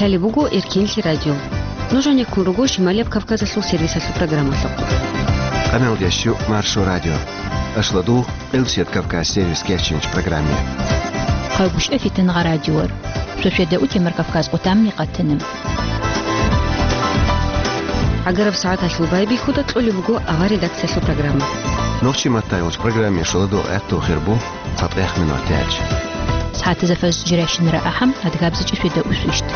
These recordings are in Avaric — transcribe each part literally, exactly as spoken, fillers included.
Гьале буго Эркенлъи радио. Нуж гьанеккун руго Шималияб Кавказалъул сервисалъул программалъухъ. Къаналдящу Маршо радио. Ашладу Элсет Кавказ сервис керчинч программе. Хъайбушев Фитнагъа радиор. Шошеда утемар Кавказ къутамни къатанам. ГӀагараб сагӀаталъул байбихьуда кьолеб буго авар редакциялъул программа. Нохчи маттайолч программе шоладо гӀатту хирбу. Цадахъ минутач. СагӀатазда фаз жиращинара ахӀам, адгабзичӀи шведа усвищт.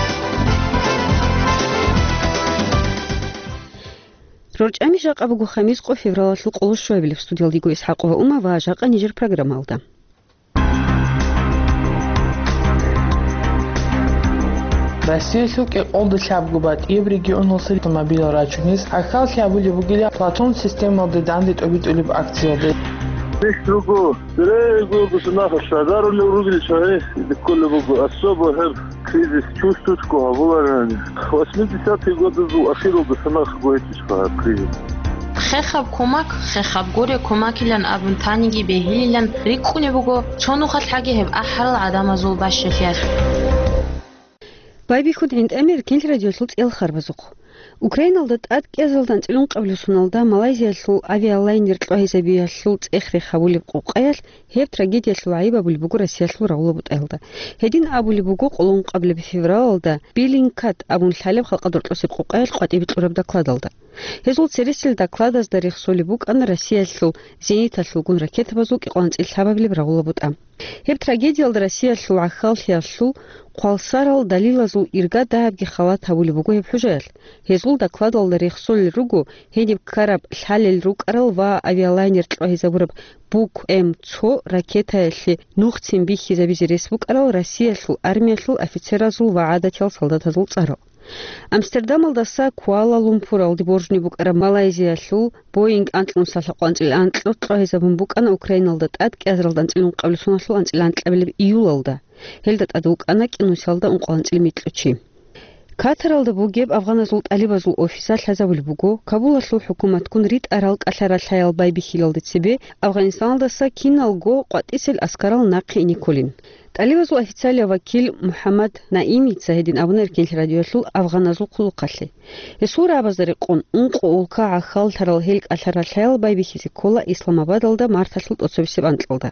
РорчӀами жакъа буго хамис къо февралалъул къоло щуабилеб. Студиялдиго ИсхӀакъова Ума ва жакъа нижер программалда. Россиялъул кӀикъоялда лъабго батӀияб регионалъе автомобилал рачунес гӀахьаллъи гьабулеб бугила Платон системалде данде тӀобитӀулеб акциялде. Здесь другого. Бере гургуса нахал шагьарулев ругел чагӀи кколеб буго, особо гьеб кризис чувствуется гьабуларани. Восьмидесятые годы ахиралда санахъго гьечӀищха гьаб кризис. Хехаб кумак, хехаб гуре кумакилан абун таниги бегьилилан рикӀкӀунеб буго, цо нухалъ гьаги гьеб ахӀарал гӀадамазул бащалъиялъ. Байбихьуда гӀинтӀамир Эркенлъи радиолъул цӀел харбазухъ. Украиналда тӀад кӀиазалда анцӀила ункъабилеб соналда Малайзиялъул авиалайнер кьвагьизабиялъул цӀех-рех гьабулеб къукъаялъ гьеб трагедиялъул гӀайиб абулеб буго Россиялъул рагъула бутӀаялда. Гьедин абулеб буго къоло ункъабилеб февралалда Беллингкат абун лъалеб халкъалда рокьосеб къукъаялъ къватӀибе кьураб докладалда. Гьезул цересел докладазда рехсолеб букӀана Россиялъул зениталъулгун ракетабазул кӀикъоялда анцӀила лъабабилеб рагъула бутӀа. Гьеб трагедиялда Россиялъул гӀахьаллъиялъул хъвалсарал далилазул ирга дагьабги халат гьабулеб буго гьеб хӀужаялъ. Гьезул докладалда рехсолел руго гьениб ккараб лъалел рукӀарал ва авиалайнер кьвагьизабураб Бук М цо ракетаялъе нухцин бихьизабизе рес букӀарал Россиялъул армиялъул офицеразул ва гӀадатиял солдатазул цӀарал. Амстердамалдаса Куала-Лумпуралде боржни букӀараб Малайзиялъул Боинг анкьнусалъа къванцӀил анкьго кьвагьизабун букӀана Украиналда тӀад кӀиазаралда анцӀила ункъабилеб соналъул анцӀила анкьабилеб июлалда. Гьелда тӀад вукӀана кӀинусиялда ункъоялда анцӀила микьго чи. Катаралда бугеб афганазул тӀалибазул офиса лъазабулеб буго, Кабулалъул хӀукуматгун ритӀарал кӀалъа-ралъаял байбихьилалде цебе Афганистаналдаса киналго къватӀисел аскарал нахъе ине кколин. ТӀалибазул официалияв вакил МухӀаммад Наимица гьедин абуна Эркенлъи радиоялъул афганазул хъулухъалъе. Гьесул рагӀабазда рекъон, ункъо улка гӀахьаллъарал гьел кӀалъа-ралъаял байбихьизе ккола Исламабадалда марталъул тӀоцебесеб анкьалда.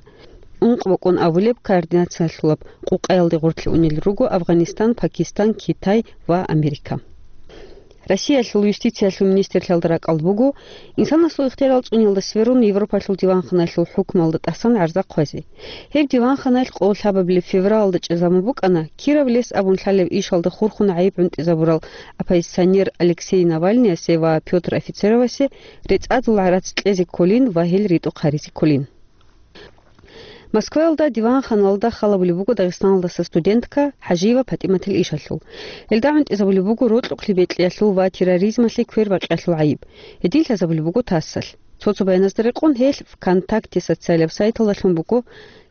Ункъ бокӀун абулеб координациялъулаб къукъаялде гъорлъе унел руго Афганистан, Пакистан, Китай ва Америка. Россиялъул юстициялъул министрлъиялда ракӀалда буго, инсанасул ихтиярал цӀуниялда сверун Европалъул диванханаялъул хӀукмуялда тӀасан гӀарза хъвазе. Гьеб диванханаялъ къоло лъабабилеб февралалда чӀезабун букӀана, Киров лес абун лъалеб ишалда хурхун гӀайиб гӀунтӀизабурал оппозиционер Алексей Навальныясе ва Пётр Офицеровасе рецӀадул гӀарац кьезе кколин ва гьел ритӀухъ гьаризе кколин. Москваялда диванханалда халабулеб буго Дагъистаналдаса студентка ХӀажиева ПатӀиматил ишалъул. Гьелда гӀунтӀизабулеб буго рокьукълъи бекьиялъул ва терроризмалъе квербакъиялъул гӀайиб. Гьедин лъазабулеб буго ТАССалъ. Цо-цо баяназда рекъон, гьелъ ВКонтакте социалияб сайталдалъун буго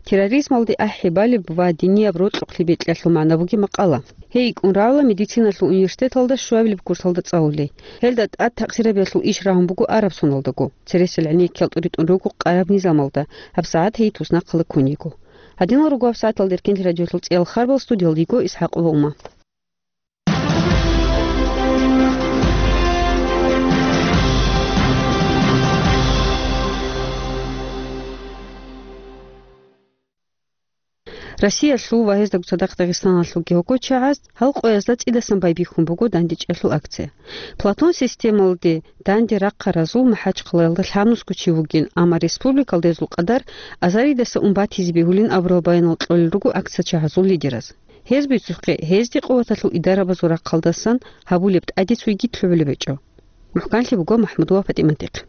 терроризмалде ахӀи балеб ва динияб рокьукълъи бекьиялъул магӀна бугеб макъала. Гьей икӀкӀун равла медициналъул университеталда щуабилеб курсалда цӀалулей. Гьелда тӀад такъсирабиялъул иш рагьун буго араб соналдаго. Цересел гӀенеккиял тӀуритӀун руго къараб низамалда, гьабсагӀат гьей туснахъала ккун йиго. Гьадинал руго гьабсагӀаталда Эркенлъи радиоялъул цӀиял харбал, студиялда йиго ИсхӀакъова Ума. Россиялъул ва гьездаго цадахъ Дагъистаналъулги гьогочагӀаз гьал къоязда цӀидасан байбихьун буго дандечӀелъул акция. Платон системалде данде рахъаразул МахӀачхъалаялда лъабнусго чи вугин, амма республикалда гьезул къадар азаридаса ун батизе бегьулин абурал баянал кьолел руго акциячагӀазул лидераз. Гьез бицухъе, гьезде къуваталъул идарабазул рахъалдасан гьабулеб тӀаде цойги лъугӀулеб гьечӀо. МухӀканлъи буго МахӀмудова ПатӀиматихъ.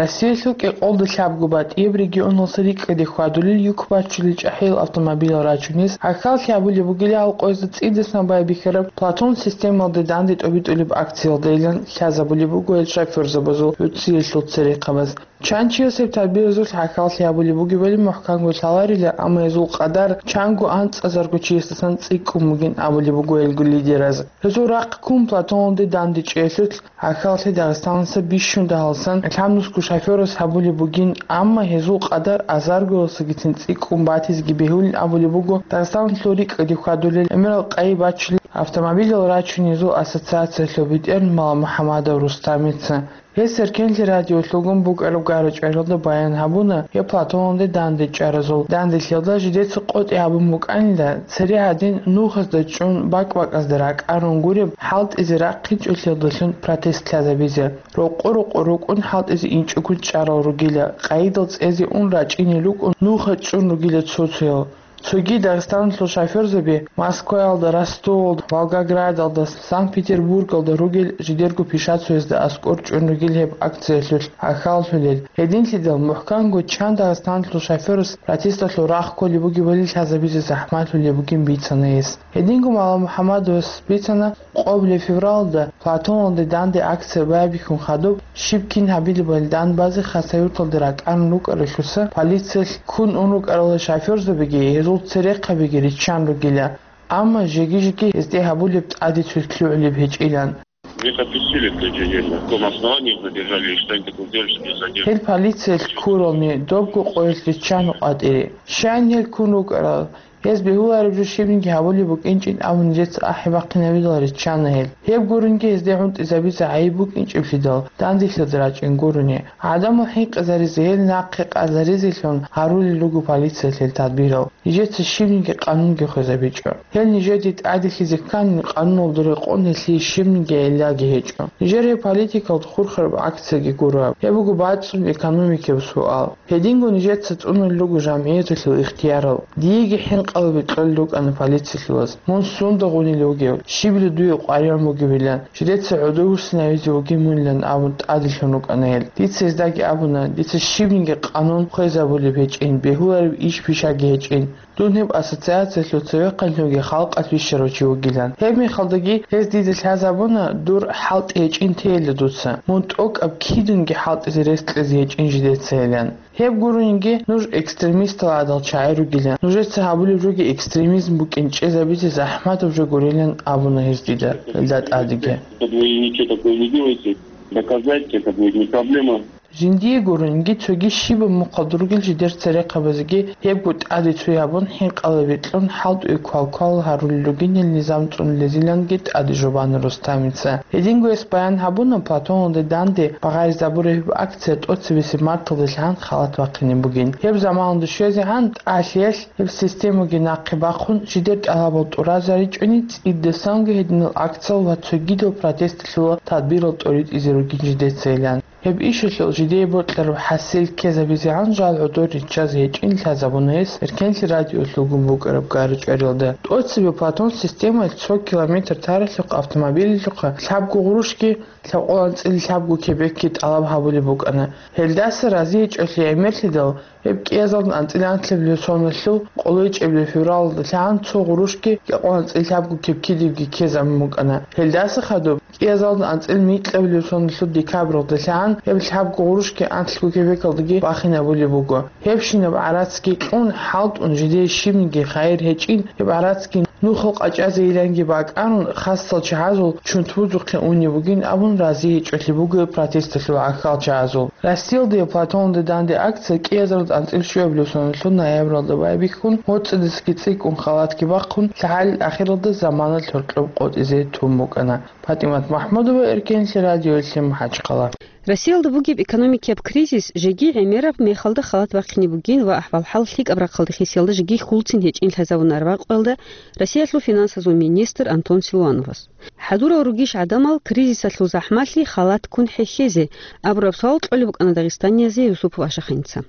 Россиялъул кӀикъоялда лъабго батӀияб регионалъе рикӀкӀаде хьвадулел юк бачулел чӀахӀиял автомобилал рачунес гӀахьаллъи гьабулеб бугила гьал къоязда цӀидасан байбихьараб Платон системалде данде тӀобитӀулеб акциялдайилан лъазабулеб буго гьел шофёрзабазул гӀуцӀиялъул церехъабаз. Чан чияс гьеб тадбиразулъ гӀахьаллъи гьабулеб бугебали мухӀканго лъаларила, амма гьезул къадар чанго анцӀазарго чиясдасан цӀикӀкӀун бугин абулеб буго гьелго лидераз. Гьезул рахъ ккун Платоналде дандечӀелъулъ гӀахьаллъи Дагъистаналдаса бищун дагьалсан лъабнусго шофёрас гьабулеб бугин, амма гьезул къадар азаргоялдасагицин цӀикӀкӀун батизеги бегьулин абулеб буго Дагъистаналъул рикӀкӀаде хьвадулел гӀемерал къайи бачулел Автомобилал рачунезул ассоциациялъул бетӀер Маламухьамадов Рустамица. Гьес Эркенлъи радиолъугун букӀараб гара-чӀваралда баян гьабуна гьеб Платоналде данде чӀаразул данделъиялда жидеца къотӀи гьабун букӀанила, цере гьадин нухазда чӀун бакӀ-бакӀазда ракӀарун гуреб хӀалтӀизе рахъинчӀолъиялдалъун протест лъазабизе. Рокъо-рокъо рукӀун хӀалтӀизе инчӀого чӀарал ругила, къайидал цӀезе ун рачӀине рукӀун нуха чӀун ругила цо-цоял. Цоги Дагъистаналъул шофёрзаби Москваялда, Ростовалда, Волгоградалда, Санкт-Петербургалда ругел жидерго пишацоязда аскӀор чӀун ругел гьеб акциялъулъ гӀахьаллъулел. Гьединлъидал мухӀканго чан Дагъистаналъул шофёрас протесталъул рахъ кколеб бугебали лъазабизе захӀмалъулеб бугин бицана гьес. Гьединго Маламухьамадовас бицана, къоблъи февралда Платоналде данде акция байбихьун хадуб, щиб кин гьабилебали данбазе Хасавюрталде ракӀарун рукӀаралъуса, полициялъ ккун ун рукӀарал шофёрзабиги гьезул церехъабиги риччан ругила, амма жеги-жеги гьезде гьабулеб тӀаде цоги лъугӀулеб гьечӀилан. Мне подписали в тот же день, на каком основании их задержали и что они такого сделали, что их задержали. Гьел полициялъ ккурални добго къоялъ риччана къватӀире. Щайин гьел ккун рукӀарал, гьез бегьулареб жо щибниги гьабулеб букӀинчӀин абун нижеца ахӀи бахъинабидал риччана гьел. Гьеб гуринги гьезде гӀунтӀизабизе гӀайиб букӀинчӀеблъидал, данделъиялда рачӀин гурони. ГӀадамал хӀинкъизаризе, гьел нахъе къазаризелъун гьарулел руго полициялъ гьел тадбирал. Нижеца щибниги къанунги хвезабичӀо. Гьел нижеде тӀаделъизе ккани, къануналда рекъон гьелъие щибниги гӀиллаги гьечӀо. Нижер гьеб политикалда хурхараб акцияги гуро. Гьеб буго бацӀцӀун экономикияб суал. Гьединго нижеца цӀунулел руго жамгӀияталъул ихтиярал. Диеги хӀинкъалаби кьолел рукӀана полициялъулаз, мун сунда гъунилев вугев, щибила дуе къваригӀун бугебилан, жидеца гӀодовуссинавизе вугин мунилан абун тӀаделъун рукӀана гьел. Дица гьездаги абуна, дица щибниги къанун хвезабулеб гьечӀин, бегьулареб иш-пишаги гьечӀин. Дун гьеб ассоциациялъул цевехъанлъунги халкъалъ бищарав чи вугилан. Гьеб мехалдаги гьез дида лъазабуна, дур хӀалтӀи гьечӀин тейила дуца, мун тӀокӀаб кидунги хӀалтӀизе рес кьезе гьечӀин жидецайилан. Гьеб гуринги нуж экстремистал гӀадал чагӀи ругилан. Нужеца гьабулеб жоги экстремизм букӀин чӀезабизе захӀматаб жо гурилан абуна гьез дида, гьелда тӀадеги. Это двойники такой не делайте. Доказать это будет не проблема. Жиндие гуринги цоги щибаб мухъалда ругел жидер церехъабазеги гьебго тӀаде цо гьабун, хӀинкъалаби кьун, хӀалтӀуе квал-квал гьарулел ругин гьел низам цӀунулезиланги тӀаде жубана Рустамица. Гьединго гьес баян гьабуна, Платоналде данде багъаризабураб гьеб акция тӀоцебесеб марталдалъан халат бахъине бугин. Гьеб заманалда щвезегӀан тӀалъиялъ гьеб системаги нахъе бахъун, жидер тӀалабал тӀуразаричӀони, цӀидасанго гьединал акциял ва цогидал протесталъула тадбирал тӀоритӀизе ругин жидецайилан. Гьеб ишалъул жидее бокьараб хӀасил ккезабизегӀан жал гӀодор риччазе гьечӀин лъазабуна гьес Эркенлъи радиолъугун букӀараб гара-чӀваралда. ТӀоцебе Платон системаялъ цо километр таралъухъ автомобилалъухъа лъабго гъурущги лъабкъоялда анцӀила лъабго кепекги тӀалаб гьабулеб букӀана. Гьелдаса разиячӀолъи гӀемерлъидал, гьеб кӀиязалда анцӀила анлъабилеб соналъул къоло ичӀабилеб февралалдалъан цо гъурущги кӀиазалда анцӀила лъабго кепкидибги ккезабун букӀана. Гьелдаса хадуб кӀиазалда анцӀила микьабилеб соналъул декабралдалъан гьеб лъабго гъурущги анлъго кепекалдаги бахинабулеб буго. Гьебщинаб гӀарацги кьун, хӀалтӀун, жидее щибниги хайир гьечӀин, гьеб гӀарацги нухал къачӀазейиланги бакӀарун, хасал чагӀазул чунтбузухъе унеб бугин абун разиячӀолъи буго протесталъул гӀахьал чагӀазул. Россиялда Платоналде данде акция кӀиазарда анцӀила щуабилеб соналъул ноябралда байбихьун, моцӀидасаги цӀикӀкӀун халатги бахъун, лъагӀалил ахиралда заманалъ гьоркьоб къотӀизе тун букӀана. ПатӀимат МахӀмудова, Эркенлъи радиоялъе, МахӀачхъала. Россиялда бугеб экономикияб кризис жеги гӀемераб мехалда халат бахъине бугин ва ахӀвал-хӀал лъикӀаб рахъалда хисиялда жеги хьулцин гьечӀин лъазабун араб къоялда Россиялъул финансазул министр Антон Силуановас. ХӀадурал ругищ гӀадамал кризисалъул захӀмалъи халат ккун хӀехьезе? Абураб суал кьолеб букӀана дагъистаниязе Юсупов Ашаханица.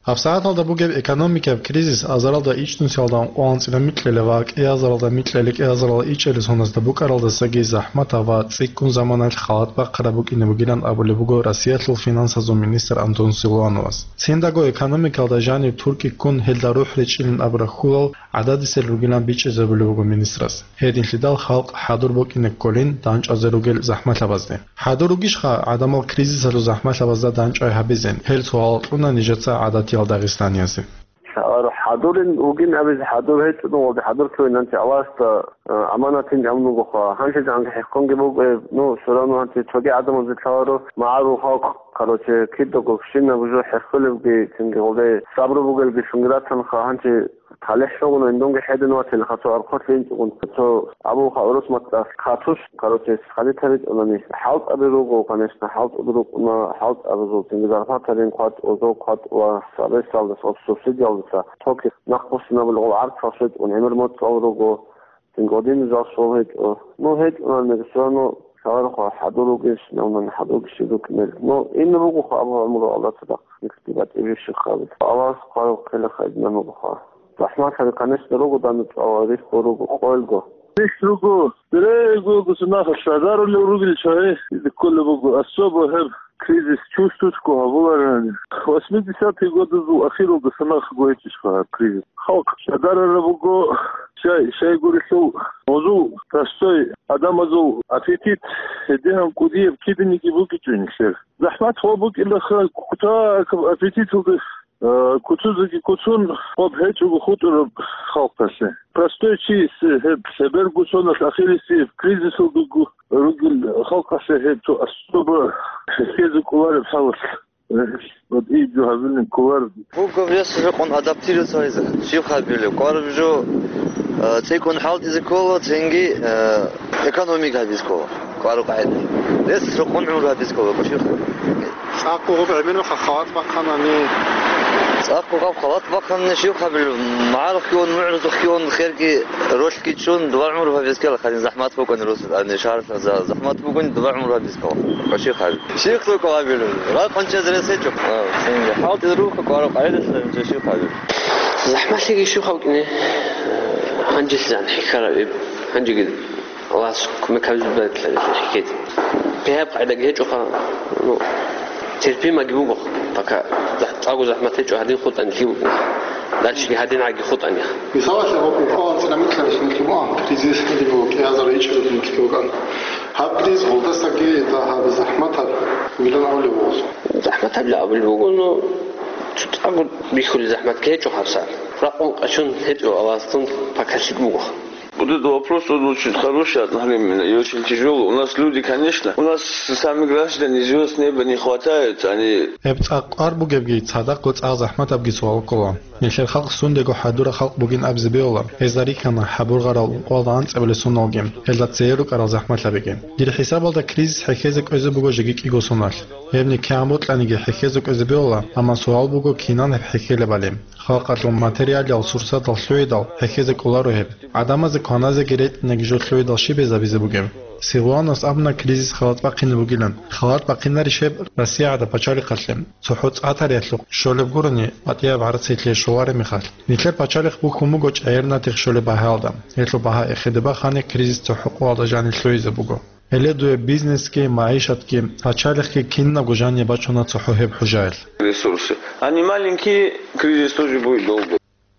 ГьабсагӀаталда бугеб экономикияб кризис азаралда ичӀнусиялда ункъоялда анцӀила микьила ва кӀиазаралда микьила кӀиазаралда ичӀабилеб соназда букӀаралдасаги захӀматаб ва цӀикӀкӀун заманалъ халат бахъараб букӀине бугилан абулеб буго Россиялъул финансазул министр Антон Силуановас. Циндаго экономикалда жаниб туркӀи ккун, гьелда рухӀ речӀчӀилин абураб хьулал гӀададисел ругилан бичӀчӀизабулеб буго министрас. Гьединлъидал халкъ хӀадур букӀине кколин дандчӀвазе ругел захӀмалъабазде. ХӀадур ругищха гӀадамал кризисалъул захӀмалъабазда дандчӀвай гьабизе? Гьел суал кьуна нижеца гӀадатиял дагъистаниясе. Лъаларо хӀадурин вугин абизе, хӀадур гьечӀо, ну, валде хӀадур цойин гьанже Аллагьасда, э, аманатин гьабун вугоха. Гьанже гьанже хӀеххонги буго, э, ну, всё равно гьанже цоги гӀадамазе лъаларо магӀарул халкъ Короче, кидаго квешинаб жо хӀехулебги, цинги гъолде сабру бугелги лъунги ратанха, гьанже талихӀ лъугьуна, индунги хӀедин ватилха цо архъулъ инчӀогун. Цо абулха урус мацӀалъ катуш, короче, схадитаричӀунани хӀалтӀаби руго, конечно, хӀалтӀуд рукӀуна, хӀалтӀабазул цинги зарплатарин кватӀ, озол кватӀ ва сабесалдаса, субсидиялдаса токи нахъбуссинабулгъул гӀарцал щвечӀун гӀемер моцӀал руго. Цинги гъодин жал щвал гьечӀо. Ну, гьечӀунани, всё равно лъаларухъа хӀадур ругищ, навман хӀадурги щиб рукӀинел. Ну, ин ругоха абу гӀумру Аллагь цадахъ, никсги батӀибищиха абе. Аллагьас хъвараб хъела хайдинан ругоха. ЗахӀматаби, конечно, руго, данде чӀвала, рихьго руго, къойилго. Рихь руго, берего госунаха шадарулев ругел чагӀи, кколеб буго, особо гьеб кризис чувствуется гьабуларани. Восьмидесятые годазул ахиралда санахъго гьечӀищха гьаб кризис. Халкъ шадарараб буго, щай, щайгурелъул гьезул простой адамазул аппетит, гьедигьан кӀудияб киданиги бугечӀо нилъер. ЗахӀмат гьаб букӀилаха, кутакаб аппетиталда, э, куцазеги куцун, гьаб гьечӀого хутӀараб халкъалъе. Простой чиясе гьеб лъеберго соналъ ахирисеб кризисалдаго ругел халкъалъе гьеб цо особо хӀехьезе кӀолареб хӀалалъ. Э, вот и жо гьабилин кколар. Буго вес рекъон адаптироваться гьайзе. Щиб хабилеб? КӀвараб жо, э, цӀикӀкӀун хӀалтӀизе ккола, цинги, э, экономика гьабизе ккола. КӀвараб къагӀида. Вес рекъон гӀумру гьабизе ккола, щиб хабилеб? ЦӀакъго гъаб гӀемер халат бахъанани. ЦӀакъго гъаб халат бахъанани щиб хабилеб? МагӀарухъги ун, мугӀрузухъги ун, херги ролъги чӀун, дова гӀумру гьабизе ккела, хадин захӀмат букӀани рус-, ани шагьарлъа за-, захӀмат бугони, дова гӀумру гьабизе ккела. Щиб хабилеб? Щиб хӀукъу гьабилеб? Ракъун чӀезе рес гьечӀо. А, цинги. ХӀалтӀизе руго, кӀвараб къагӀидалъ гьанже щиб хабилеб? ЗахӀматлъиги щиб халкъине? Гьанжелъ зан хӀехьараб иб. Гьанжеги Аллагьас кумек гьабизе бегьуларо хӀехьезе. Гьеб къагӀидаги гьечӀоха, ну, терпимаги буго, пока зах-, цӀакъго захӀмат гьечӀо, гьадин хутӀани лъим букӀин. Дальшеги гьадин гӀаги хутӀани. Мисалалъе, гьаб ункъо анцӀила микьалъ нилъ бугӀан, кризис лъугьине буго, кӀиазар ичӀого нилъ бугӀан. Гьаб кризис гъолдасаги дагьаб захӀматаб вилан гьавулев вугӀун. ЗахӀматаб абулеб буго, ну, цо цӀакъго бихьулеб захӀматги гьечӀо гьаб сагӀат. Ракъун къачун гьечӀо, Аллагьасдун пакалъи буго. Вот этот вопрос, он очень хороший, одновременно и очень тяжелый. У нас люди, конечно, у нас сами граждане звезд неба не хватает, они Гьеб цӀакъ кӀвар бугебги, цадахъго цӀакъ захӀматабги суал ккола. Нилъер халкъ сундего хӀадурал халкъ бугин абизе бегьула. Гьезда рихьана хӀабургъарал ункъоялда анцӀабилеб соналги. Гьелда цее рукӀарал захӀматлъабиги. Дир хӀисабалда кризис хӀехьезе кӀвезе буго жеги кӀиго соналъ. Гьеб никегӀан бокьаниги хӀехьезе кӀвезе бегьула, амма суал буго, кинан гьеб хӀехьелебали. Халкъалъул материалиял сурсатал лъугӀидал хӀехьезе кӀоларо гьеб. ГӀадамазе кваназеги ретӀинаги жо лъугӀидал щиб гьезабизе бугеб? Силуановас абуна кризис халат бахъине бугилан. Халат бахъинарищ гьеб Россия гӀадаб пачалихъалъе? ЦохӀо цӀа тариялъухъ щолеб гурони, батӀияб гӀарцихълъи щолареб мехалъ. Нилъер пачалихъ бухьун буго чӀегӀер натихъ щолеб багьаялда. Гьелъул багьа эхеде бахани, кризис цохӀо къоялда жанир лъугьизе буго. Гьеле дуе бизнесги, магӀишатги, пачалихъги кинабго жаниб бачуна цохӀо гьеб хӀужаялъ. Ресурсы. Они маленькие, кризис тоже будет долго.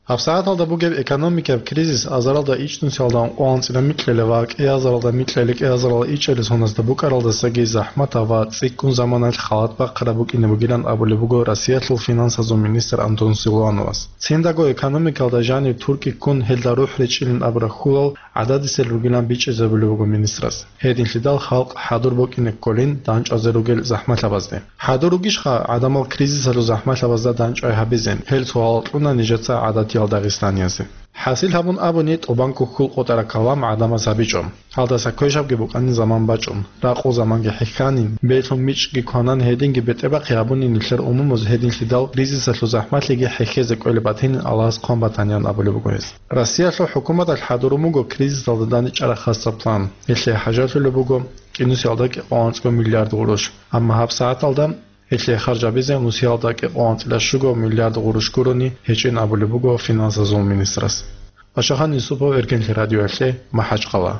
ГьабсагӀаталда бугеб экономикаб кризис азаралда ичӀнусиялда ункъоялда анцӀила микьилеб ва кӀиазаралда микьили кӀиазаралда ичӀили соназда букӀаралдасаги захӀматаб ва цӀикӀкӀун заманалъ халат бахъараб букӀине бугилан абулеб буго Россиялъул финансазул министр Антон Силуановас. Циндаго экономикалда жаниб туркӀи ккун гьелда рухӀ речӀчӀилин абураб хьулал гӀададисел ругилан бичӀчӀизабулеб буго министрас. Гьединлъидал халкъ хӀадур букӀине кколин дандчӀвазе ругел захӀмалъабазде. ХӀадур ругищха гӀадамал кризисалъул захӀмалъабазда дандчӀвай гьабизе? Гьел суал кьуна нижеца гӀадатиял дагъистаниязе. ХӀасил гьабун абуни, тӀубанго хьул къотӀараб калам гӀадамаз гьабичӀо. Гьалдаса квешабги букӀанин заман бачӀун, ракъул заманги хӀехьанин, бедлъун мичӀги кванан, гьединги бетӀербахъи гьабунин нилъер умумуз, гьединлъидал кризисалъул захӀмалъиги хӀехьезе кӀвелеб батинин Аллагьас хъван батаниан абулеб буго гьез. Россиялъул хӀукуматалъ хӀадурун буго кризисалда дандчӀвараб хасаб план. Гьелъие хӀажалъулеб буго кӀинусиялда кӀикъоялда анцӀго миллиард гъурущ. Амма гьабсагӀаталда гьелъие харжабизе нусиялда кӀикъоялда анцӀила щуго миллиард гъурущ гурони гьечӀин абулеб буго финансазул министрас. Пачагьан Юсупов, Эркенлъи радиоялъе, МахӀачхъала.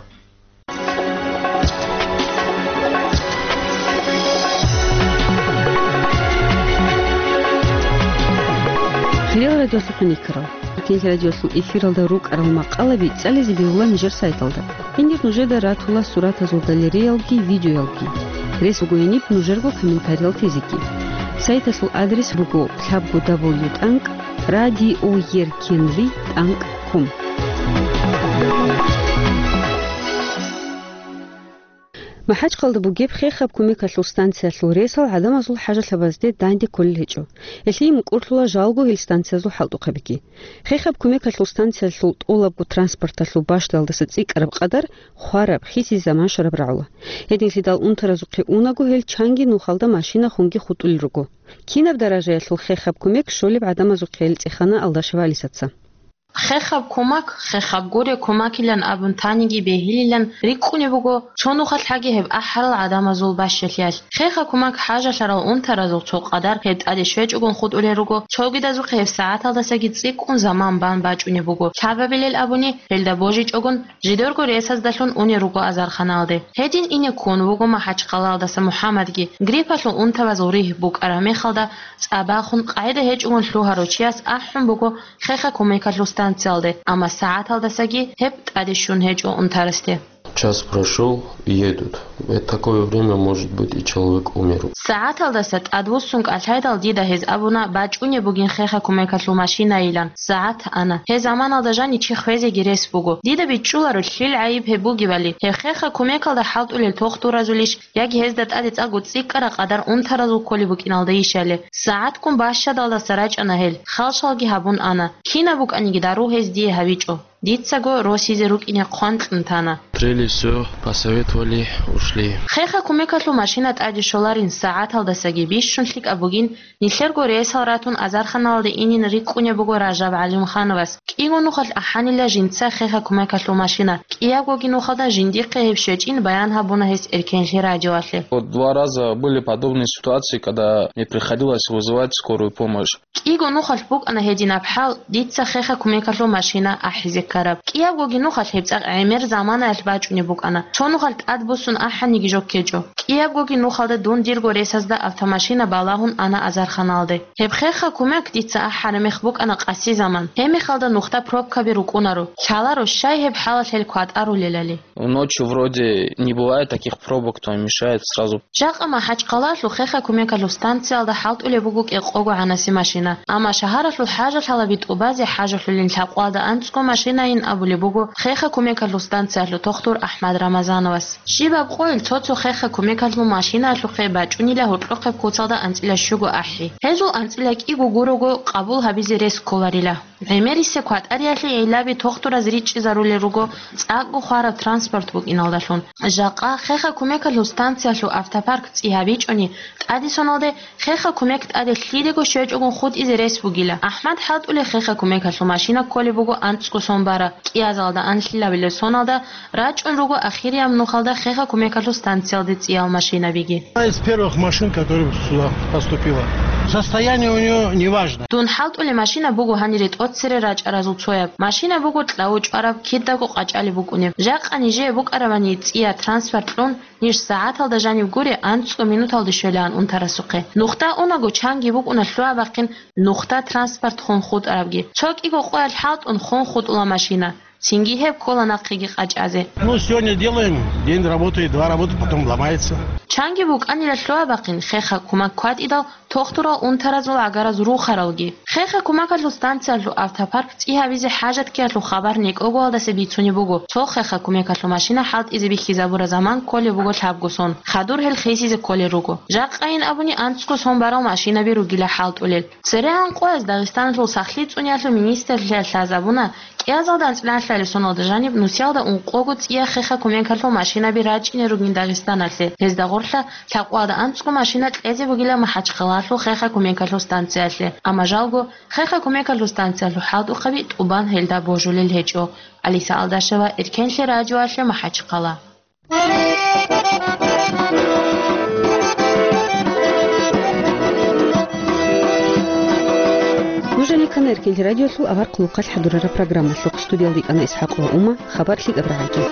Хириял радиолъухъ хӀинкъарал. Эркенлъи радиолъул эфиралда рукӀарал макъалаби цӀализе бегьула нижер сайталда. Гьенир нужеда ратула суратазул галереялги видеоялги. Рес буго гьениб нужерго комментариял тезеги. Сайталъул адрес буго лъабго дабл ю тӀанкӀ радио еркенлъи тӀанкӀ ком. МахӀачхъалда бугеб хехаб кумекалъул станциялъул ресал гӀадамазул хӀажалъабазде данде кколел гьечӀо. Гьелъие мукӀурлъула жалго гьел станциязул хӀалтӀухъабиги. Хехаб кумекалъул станциялъул тӀолабго транспорталъул бащдалдаса цӀикӀкӀараб къадар хвараб, хисизе заман щвараб рагӀула. Гьединлъидал унтаразухъе унаго гьел чанги нухалда машина хунги хутӀулел руго. Кинаб даражаялъул хехаб кумек щолеб гӀадамазухъе гьел цӀехана Алдашева Алисаца. Хехаб кумак, хехаб гуре кумакилан абун таниги бегьилилан рикӀкӀунеб буго, цо нухалъ гьаги гьеб ахӀарал гӀадамазул бащалъиялъ. Хехаб кумак хӀажалъарал унтаразул цо къадар гьеб тӀаде щвечӀогун хутӀулел руго, цогидазухъе гьеб сагӀаталдасаги цӀикӀкӀун заман бан бачӀунеб буго. Лъабабилел абуни, гьелда божичӀогун, жидерго ресаздалъун унел руго азарханалде. Гьедин ине ккун вуго МахӀачхъалаялдаса МухӀаммадги. Гриппалъул унтабазул ригь букӀараб мехалда, цӀа бахун, къагӀида гьечӀогун лъугьарав чияс ахӀун буго хехаб кумекалъул станциялде, амма сагӀаталдасаги гьеб тӀаде щун гьечӀо унтарасде. Час прошёл, едут. В такое время, может быть, и человек умер. СагӀаталдаса тӀадвуссун кӀалъайдал дида гьез абуна бачӀунеб бугин хехаб кумекалъул машинайилан. СагӀат ана. Гьеб заманалда жанив чи хвезеги рес буго. Дида бичӀчӀуларо, лъил гӀайиб гьеб бугебали, гьеб хехаб кумекалда хӀалтӀулел тохтуразулищ, яги гьезда тӀаде цӀакъго цӀикӀкӀараб къадар унтаразул кколеб букӀиналдайищали. СагӀатккун бащадалдаса рачӀана гьел, халшалги гьабун ана. Кинаб букӀаниги дару гьез дие гьабичӀо. Дицаго росизе рукӀине хъван кьун тана. Трели всё, посоветовали, ушли. Хехаб кумекалъул машина тӀаде щоларин сагӀаталдасаги бищун лъикӀаб бугин, нилъерго рейсал ратун азарханалде инин рикӀкӀунеб буго Ражаб ГӀалимхановас. КӀиго нухалъ ахӀанила жинца хехаб кумекалъул машина. КӀиябгоги нухалда жиндихъе гьеб щвечӀин баян гьабуна гьес Эркенлъи радиоялъе. Вот два раза были подобные ситуации, когда мне приходилось вызывать скорую помощь. КӀиго нухалъ букӀана гьединаб хӀал, дица хехаб кумекалъул машина ахӀизе ккараб. КӀиябгоги нухалъ гьеб цӀакъ гӀемер заманаялъ бачӀунеб букӀана. Цо нухалъ тӀадбуссун ахӀаниги жо ккечӀо. КӀиябгоги нухалда дун дирго ресазда автомашина балагьун ана азарханалде. Гьеб хехаб кумек дица ахӀараб мех букӀана къаси заман. Гьеб мехалда нухда пробкаби рукӀунаро. Лъаларо щай гьеб хӀалалъ гьел кватӀарулелали. Ночью вроде не бывает таких пробок, то мешает сразу. Жакъа МахӀачхъалалъул хехаб кумекалъул станциялда хӀалтӀулеб буго кӀикъого гӀанаси машина. Амма шагьаралъул хӀажалъалаби тӀубазе хӀажалъулин лъабкъоялда анцӀго машинайин абулеб буго хехаб кумекалъул станциялъул тухтур АхӀмад Рамазановас. Щибаб къойил цо-цо хехаб кумекалъул машинаялъухъе бачӀунила гьоркьохъеб куцалда анцӀила щуго ахӀи. Гьезул анцӀила кӀиго гурого къабул гьабизе рес кколарила. ГӀемерисеб кватӀариялъе гӀиллаби тухтураз ричӀчӀизарулел руго цӀакъго хвараб транспорт букӀиналдалъун. Жакъа хехаб кумекалъул станциялъул автопарк цӀи гьабичӀони, тӀаде соналде хехаб кумек тӀаде лъидего щвечӀогун хутӀизе рес бугила. АхӀмад хӀалтӀулел хехаб кумекалъул машина кколеб буго анцӀго сон бара, кӀиазалда анлъилабилеб соналда рачӀун руго ахирияб нухалда хехаб кумекалъул станциялде цӀиял машинабиги. Одна из первых машин, которая сюда поступила. Состояние у неё неважно. Дун хӀалтӀулеб машина буго гьанире тӀоцере рачӀаразул цояб. Машина буго кьавучӀвараб, кидаго къачӀалеб букӀунеб. Жакъа нижее букӀарабани цӀия транспорт кьун, ниж сагӀаталда жаниб гуре анцӀго минуталде щвелаан унтарасухъе. Нухда унаго чанги букӀуна лъугьа-бахъин нухда транспорт хун хутӀарабги. Цо кӀиго къоялъ хӀалтӀун хун хутӀула машина. Цинги гьеб ккола нахъеги къачӀазе. Ну, сегодня делаем, день работает, два работает, потом ломается. Чанги букӀанила лъугьа-бахъин хехаб кумак кватӀидал тухтурал унтаразул гӀагараз рухаралги. Хехаб кумекалъул станциялъул автопарк цӀи гьабизе хӀажат ккеялъул хабар некӀогоялдаса бицунеб буго, цо хехаб кумекалъул машина хӀалтӀизе бихьизабураб заман кколеб буго лъабго сон, хадур гьел хисизе кколел руго. Жакъайин абуни анцӀго сон барал машинаби ругила хӀалтӀулел. ЦерегӀан къояз Дагъистаналъул сахлъи цӀуниялъул министрлъиялъ лъазабуна, кӀиазалда анцӀила лъалеб соналда жаниб нусиялда ункъого цӀия хехаб кумекалъул машинаби рачӀине ругин Дагъистаналъе. Гьезда гъорлъа лъабкъоялда анцӀго машина кьезе бугила МахӀачхъалалъул хехаб кумекалъул станциялъе. Амма жалго, хехаб кумекалъул станциялъул хӀалтӀухъаби тӀубан гьелда божулел гьечӀо. Алиса Алдашева, Эркенлъи радиоялъе, МахӀачхъала. Нуж гьанир ккана Эркенлъи радиолъул авар хъулухъалъ хӀадурараб программалъухъ. Студиялда йикӀана ИсхӀакъ ва Ума. Хабар лъикӀаб рагӀалде.